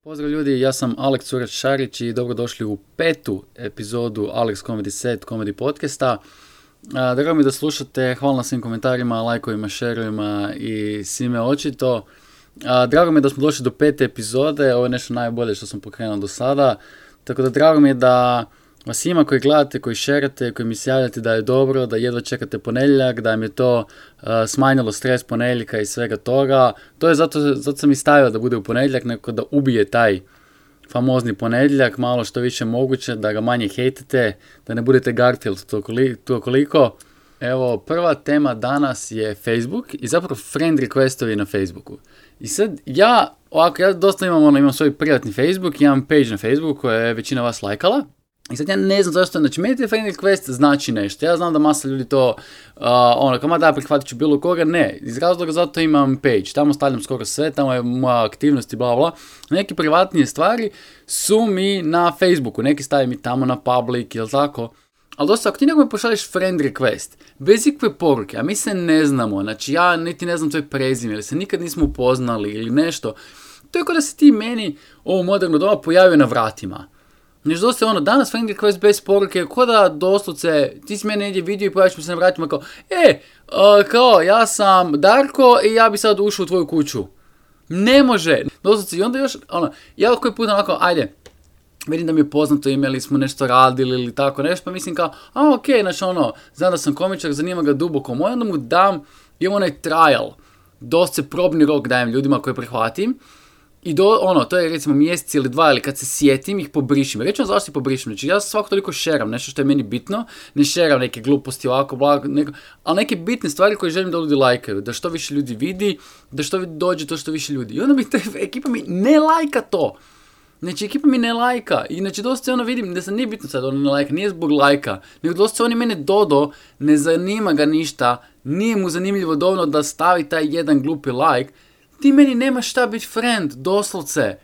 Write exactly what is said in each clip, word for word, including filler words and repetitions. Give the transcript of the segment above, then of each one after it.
Pozdrav ljudi, ja sam Aleks Curać-Šarić i dobrodošli u petu epizodu Alex Comedy Set Comedy podcasta. A, drago mi da slušate, hvala na svim komentarima, lajkovima, šerovima i svime očito. A, drago mi je da smo došli do pete epizode, ovo je nešto najbolje što sam pokrenuo do sada. Tako da drago mi je da vas ima koji gledate, koji šerate, koji mi se javljate da je dobro, da jedva čekate ponedjeljak, da im je to uh, smanjilo stres ponedjeljka i svega toga. To je zato, zato sam i stavio da bude u ponedjeljak, neko da ubije taj famozni ponedjeljak, malo što više moguće, da ga manje hejtete, da ne budete Garfield to koliko. Evo, prva tema danas je Facebook i zapravo friend requestovi na Facebooku. I sad ja, ovako, ja dosta imam, ono, imam svoj privatni Facebook, imam page na Facebooku koje je većina vas lajkala. I sad ja ne znam zašto, znači meni te friend request znači nešto, ja znam da masa ljudi to, uh, ono, kama da prihvatit ću bilo koga, ne, iz razloga zato imam page, tamo stavljam skoro sve, tamo je moja aktivnost i bla bla, neke privatnije stvari su mi na Facebooku, neki stavim i tamo na public, jel tako, ali dosta, ako ti nekome pošalješ friend request, bez ikakve poruke, a mi se ne znamo, znači ja niti ne znam tvoj prezime, ili se nikad nismo upoznali ili nešto, to je kao da se ti meni ovo moderno doba pojavio na vratima. Znači dosta je ono, danas friend request bez poruke, ko da doslovce, ti si mene negdje vidio i pojaviš mi se na vratima kao, e, uh, kao, ja sam Darko i ja bi sad ušao u tvoju kuću. Ne može. Doslovce, i onda još, ono, ja koji put onako, ajde, vidim da mi je poznato ime ili smo nešto radili ili tako nešto, pa mislim kao, a okej, okay, znači ono, znam da sam komičar, zanima ga duboko moj, onda mu dam, imam onaj trial, dosta probni rok dajem ljudima koje prihvatim. I do, ono, to je recimo mjesec ili dva, ili kad se sjetim ih pobrišim. Reći vam zašto ih pobrišim, znači ja svako toliko šeram nešto što je meni bitno, ne šeram neke gluposti ovako, blago, neko, ali neke bitne stvari koje želim da ljudi lajkaju, da što više ljudi vidi, da što dođe to što više ljudi. I onda mi te, ekipa mi ne lajka to. Znači ekipa mi ne lajka i znači dosta ono vidim da se nije bitno sad ono ne lajka, nije zbog lajka, nego dosta oni mene dodo, ne zanima ga ništa, nije mu zanimljivo dovoljno da stavi taj jedan glupi like. Ti meni nemaš šta biti friend, doslovce.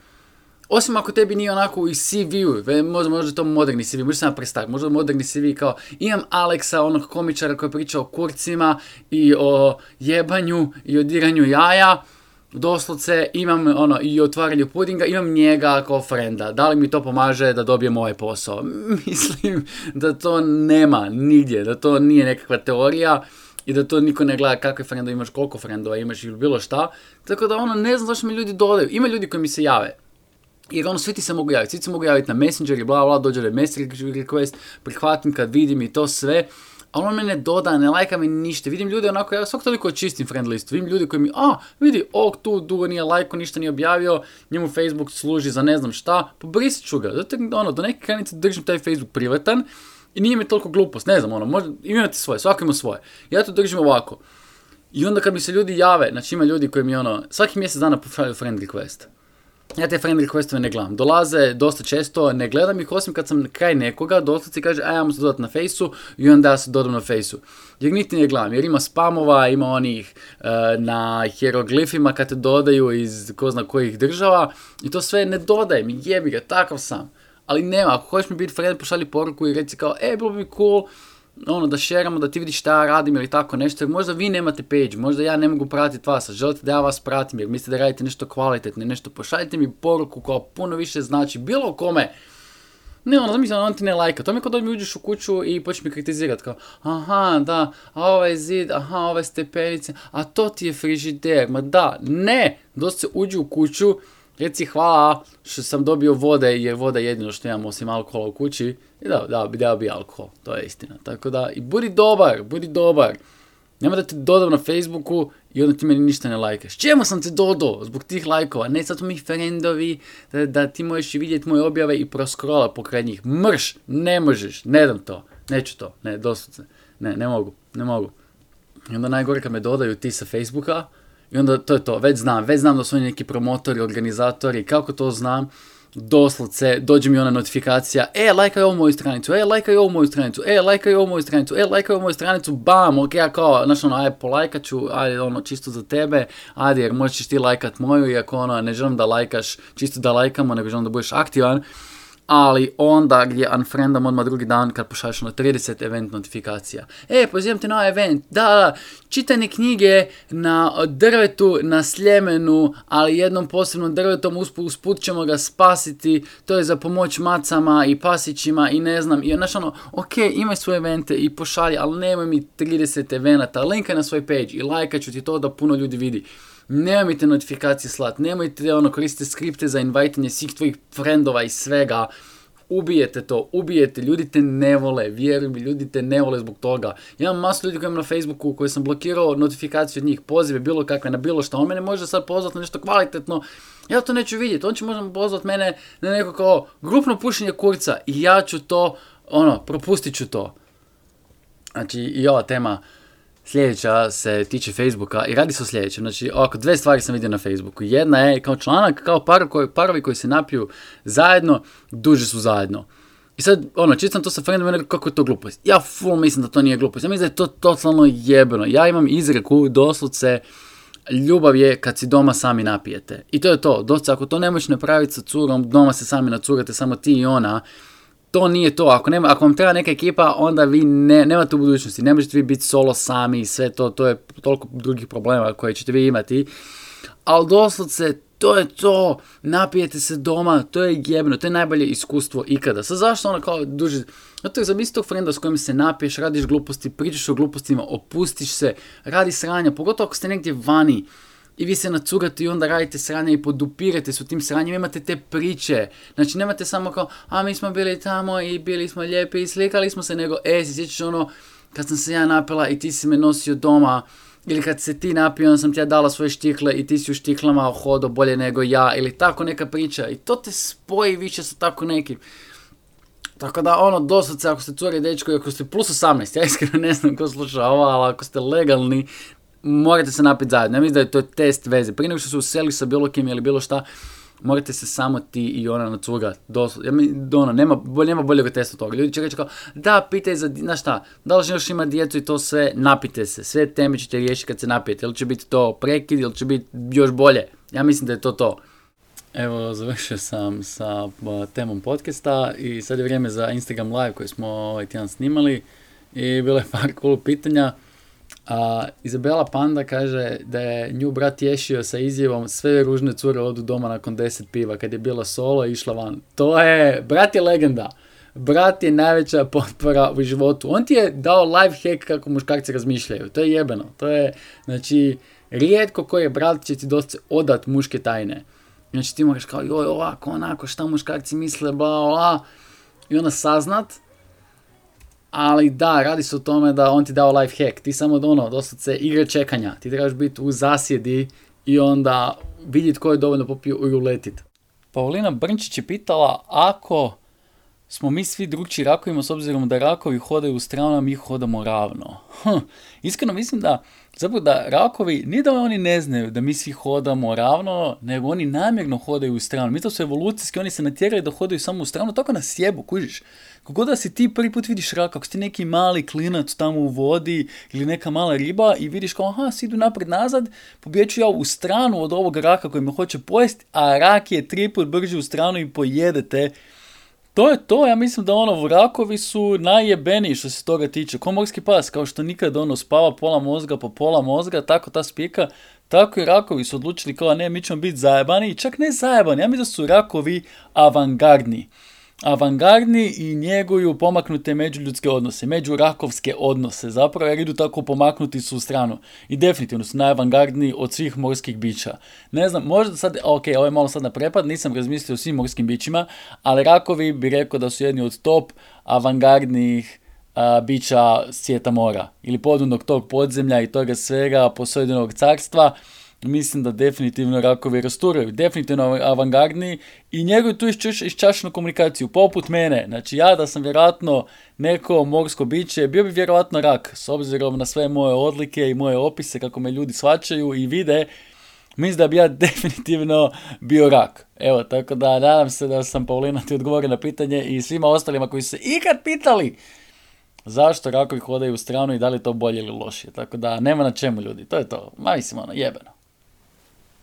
Osim ako tebi nije onako u C V-u, možda, možda to moderni C V, možda sam prestar, možda moderni C V kao imam Aleksa, onog komičara koji priča o kurcima i o jebanju i o diranju jaja, doslovce imam ono i o otvaranju pudinga, imam njega kao frenda, da li mi to pomaže da dobijem ovaj posao? Mislim da to nema nigdje, da to nije nekakva teorija. I da to niko ne gleda kakve frendove imaš, koliko frendova imaš ili bilo šta. Tako da ono, ne znam zašto mi ljudi dodaju. Ima ljudi koji mi se jave. Jer ono, svi ti se mogu javiti. Svi ti se mogu javiti na Messenger i bla bla, dođe da je message request, prihvatim kad vidim i to sve. A ono me ne doda, ne lajka mi ništa. Vidim ljude onako, ja svak toliko čistim friend listu. Vidim ljudi koji mi, a, vidi, ovog tu dugo nije lajko, ništa nije objavio, njemu Facebook služi za ne znam šta, pobrisit ću ga. Zato ono, do neke granice držim taj Facebook privatan. I nije mi toliko glupost, ne znam, ono, možda imate svoje, svako ima svoje. Ja to držim ovako. I onda kad mi se ljudi jave, znači ima ljudi koji mi ono, svaki mjesec dana pošalju friend request. Ja te friend requestove ne gledam. Dolaze dosta često, ne gledam ih osim kad sam kraj nekoga, doslovce kaže, a ja mu se dodati na fejsu i onda ja se dodam na fejsu. Jer niti ne gledam, jer ima spamova, ima onih uh, na hieroglifima kad te dodaju iz ko zna kojih država i to sve ne dodajem, jebi ga, takav sam. Ali nema, ako hoćeš mi biti friend, pošalji poruku i reci kao, e, bilo bi cool, ono, da šeramo, da ti vidiš šta ja radim ili tako nešto, jer možda vi nemate page, možda ja ne mogu pratiti vas, a želite da ja vas pratim, jer mislite da radite nešto kvalitetno, nešto, pošaljite mi poruku koja puno više znači, bilo kome. Ne, ono, mislim, on ti ne lajka, to mi je kao da mi uđeš u kuću i počneš mi kritizirati, kao, aha, da, a ovaj zid, aha, ove stepenice, a to ti je frižider, ma da, ne, dosta se uđu u kuću, reci hvala što sam dobio vode jer voda je jedino što imam osim alkohola u kući i da, da, bi dao bi alkohol, to je istina. Tako da, i budi dobar, budi dobar. Nema da te dodam na Facebooku i onda ti meni ništa ne lajkaš. Čemu sam te dodao zbog tih lajkova? Ne, sad su mi friendovi, da, da ti možeš vidjeti moje objave i proskrola pokraj njih. Mrš, ne možeš, ne dam to, neću to, ne, doslovce, ne, ne mogu, ne mogu. I onda najgore kad me dodaju ti sa Facebooka, i onda to je to, već znam, već znam da su oni neki promotori, organizatori, kako to znam, doslovce, dođe mi ona notifikacija, e, lajkaj ovu moju stranicu, e, lajkaj ovu moju stranicu, e, lajkaj ovu moju stranicu, e, lajkaj ovu moju stranicu, bam, ok, ja kao, znaš ono, ajde, polajkat ću, ajde, ono, čisto za tebe, ajde, jer možeš ti lajkat moju, iako ono, ne želim da lajkaš, čisto da lajkamo, nego želim da budeš aktivan, ali onda gdje unfriendam odmah drugi dan kad pošalješ na trideset event notifikacija. E, pozivam te na event, da, da, čitanje knjige na drvetu, na Sljemenu, ali jednom posebnom drvetom, usput, usput ćemo ga spasiti, to je za pomoć macama i pasićima i ne znam, i znaš ono, ok, imaj svoje evente i pošalji, ali nemoj mi trideset evenata, linkaj na svoj page i lajkat ću ti to da puno ljudi vidi. Nemojte notifikacije slat, nemojte ono koristite skripte za invajtanje svih tvojih frendova i svega. Ubijete to, ubijete, ljudi te ne vole, vjeruj mi, ljudi te ne vole zbog toga. Ja imam masu ljudi koji imam na Facebooku koji sam blokirao notifikaciju od njih, pozive bilo kakve na bilo što, on mene može sad pozvati na nešto kvalitetno, ja to neću vidjeti, on će možda pozvati mene na neko kao grupno pušenje kurca i ja ću to, ono, propustit ću to. Znači i ova tema sljedeća se tiče Facebooka i radi se o sljedećem. Znači, ovako, dve stvari sam vidio na Facebooku. Jedna je kao članak, kao par koji, parovi koji se napiju zajedno, duže su zajedno. I sad, ono, čitam to sa friendom i nekako kako je to glupost. Ja full mislim da to nije glupost. Ja mislim da je to totalno jebeno. Ja imam izreku, doslovce, ljubav je kad si doma sami napijete. I to je to. Doslovce, ako to ne možeš napraviti sa curom, doma se sami nacurate, samo ti i ona, to nije to. Ako, nema, ako vam treba neka ekipa, onda vi ne, nemate u budućnosti. Ne možete vi biti solo sami i sve to. To je toliko drugih problema koje ćete vi imati. Ali doslovce, to je to. Napijete se doma. To je jebno. To je najbolje iskustvo ikada. Sad zašto ono kao duže... Zato je zamisli tog frenda s kojim se napiješ, radiš gluposti, pričaš o glupostima, opustiš se, radi sranja. Pogotovo ako ste negdje vani. I vi se nacurate i onda radite sranje i podupirate se u tim sranjima, imate te priče. Znači nemate samo kao, a mi smo bili tamo i bili smo lijepi i slikali smo se, nego, e, si sjećaš ono, kad sam se ja napila i ti si me nosio doma, ili kad se ti napio, onda sam ti ja dala svoje štikle i ti si u štiklama hodao bolje nego ja, ili tako neka priča. I to te spoji više sa tako nekim. Tako da, ono, doslovce, ako ste curi dečko i ako ste plus osamnaest, ja iskreno ne znam ko sluša ovo, ali ako ste legalni, morate se napiti zajedno. Ja mislim da je to test veze. Prije nego što se useli sa bilo kim ili bilo šta, morate se samo ti i ona nacurati. Ja mislim, ono, nema, nema boljeg testa toga. Ljudi će reći kao, da, pitaj za, znaš šta, da li još ima djecu i to sve, napite se. Sve teme ćete riješiti kad se napijete. Ili će biti to prekid, ili će biti još bolje. Ja mislim da je to to. Evo, završio sam sa temom podcasta i sad je vrijeme za Instagram live koji smo ovaj tjedan snimali i bilo je par cool pitanja. A Izabela Panda kaže da je nju brat tješio sa izjavom sve ružne cure odu doma nakon deset piva kad je bila solo i išla van. To je, brat je legenda. Brat je najveća potpora u životu. On ti je dao life hack kako muškarci razmišljaju. To je jebeno. To je, znači, rijetko koji je brat će ti dosta odat muške tajne. Znači ti moraš kao, joj, ovako, onako, šta muškarci misle, bla, bla. I onda saznat. Ali da, radi se o tome da on ti dao life hack. Ti samo ono, doslovce igre čekanja. Ti trebaš biti u zasjedi i onda vidjeti ko je dovoljno popio i uletit. Paulina Brnčić je pitala ako smo mi svi drugčiji rakovima s obzirom da rakovi hodaju u stranu, a mi hodamo ravno. Hm. Iskreno mislim da zapravo da rakovi, nije da oni ne znaju da mi svi hodamo ravno, nego oni namjerno hodaju u stranu. Mi to su evolucijski, oni se natjerali da hodaju samo u stranu, tako nas jebu, kužiš. Kogod da si ti prvi put vidiš rak, ako si ti neki mali klinac tamo u vodi ili neka mala riba i vidiš kao, aha, svi idu napred nazad, pobjeću ja u stranu od ovog raka koji me hoće pojesti, a rak je tri put brže u stranu i pojedete. To je to, ja mislim da ono, rakovi su najjebeniji što se toga tiče. Ko morski pas, kao što nikad ono spava pola mozga po pola mozga, tako ta spika, tako i rakovi su odlučili kao ne, mi ćemo biti zajebani i čak ne zajebani, ja mislim da su rakovi avangardni. Avangardni i njeguju pomaknute međuljudske odnose, međurakovske odnose, zapravo jer idu tako pomaknuti su u stranu. I definitivno su najavangardniji od svih morskih bića. Ne znam, možda sad, ok, ovo je malo sad na prepad, nisam razmislio o svim morskim bićima, ali rakovi bi rekao da su jedni od top avangardnijih a, bića svijeta mora. Ili podvodnog tog podzemlja i toga svega posojdenog carstva. Mislim da definitivno rakovi rasturaju, definitivno avangardni i njeguju tu iščašenu komunikaciju, poput mene. Znači ja da sam vjerojatno neko morsko biće, bio bi vjerojatno rak, s obzirom na sve moje odlike i moje opise, kako me ljudi shvaćaju i vide, mislim da bi ja definitivno bio rak. Evo, tako da nadam se da sam, Paulina, ti odgovorio na pitanje i svima ostalima koji su se ikad pitali zašto rakovi hodaju u stranu i da li je to bolje ili lošije. Tako da nema na čemu, ljudi, to je to, ma mislim ono, jebeno.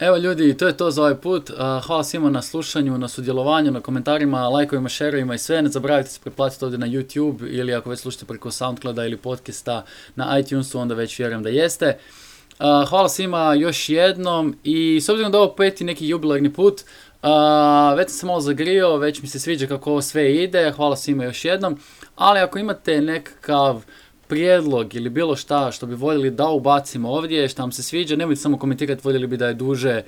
Evo ljudi, to je to za ovaj put. Uh, hvala svima na slušanju, na sudjelovanju, na komentarima, lajkovima, šerovima i sve. Ne zaboravite se pretplatiti ovdje na YouTube ili ako već slušate preko SoundClouda ili podcasta na iTunesu, onda već vjerujem da jeste. Uh, hvala svima još jednom i s obzirom da ovo peti neki jubilarni put, uh, već sam se malo zagrio, već mi se sviđa kako ovo sve ide, hvala svima još jednom, ali ako imate nekakav prijedlog ili bilo šta što bi voljeli da ubacimo ovdje, što vam se sviđa, nemojte samo komentirati voljeli bi da je duže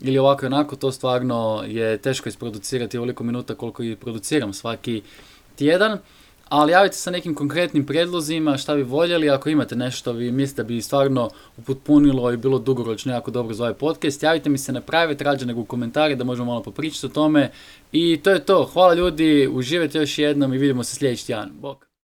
ili ovako i onako, to stvarno je teško isproducirati ovoliko minuta koliko i produciram svaki tjedan, ali javite se sa nekim konkretnim prijedlozima, šta bi voljeli, ako imate nešto vi mislite da bi stvarno upotpunilo i bilo dugoročno jako dobro za ovaj podcast, javite mi se na private rađe nego u komentari da možemo malo popričati o tome i to je to, hvala ljudi, uživajte još jednom i vidimo se sljedeći tjedan, bok.